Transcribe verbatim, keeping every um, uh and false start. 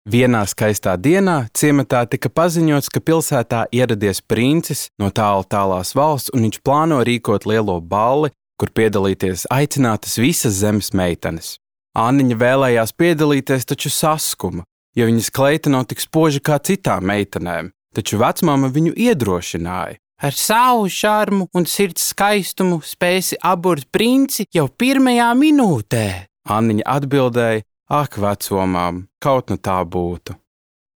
Vienā skaistā dienā ciematā tika paziņots, ka pilsētā ieradies princis no tālu tālās valsts, un viņš plāno rīkot lielo balli, kur piedalīties aicinātas visas zemes meitenes. Anniņa vēlējās piedalīties, taču saskuma, jo viņas kleita nav tik spoža kā citām meitenēm, taču vecmāma viņu iedrošināja. Ar savu šarmu un sirds skaistumu spēsi aburt princi jau pirmajā minūtē. Anniņa atbildēja, ak, vecomām, kaut nu tā būtu.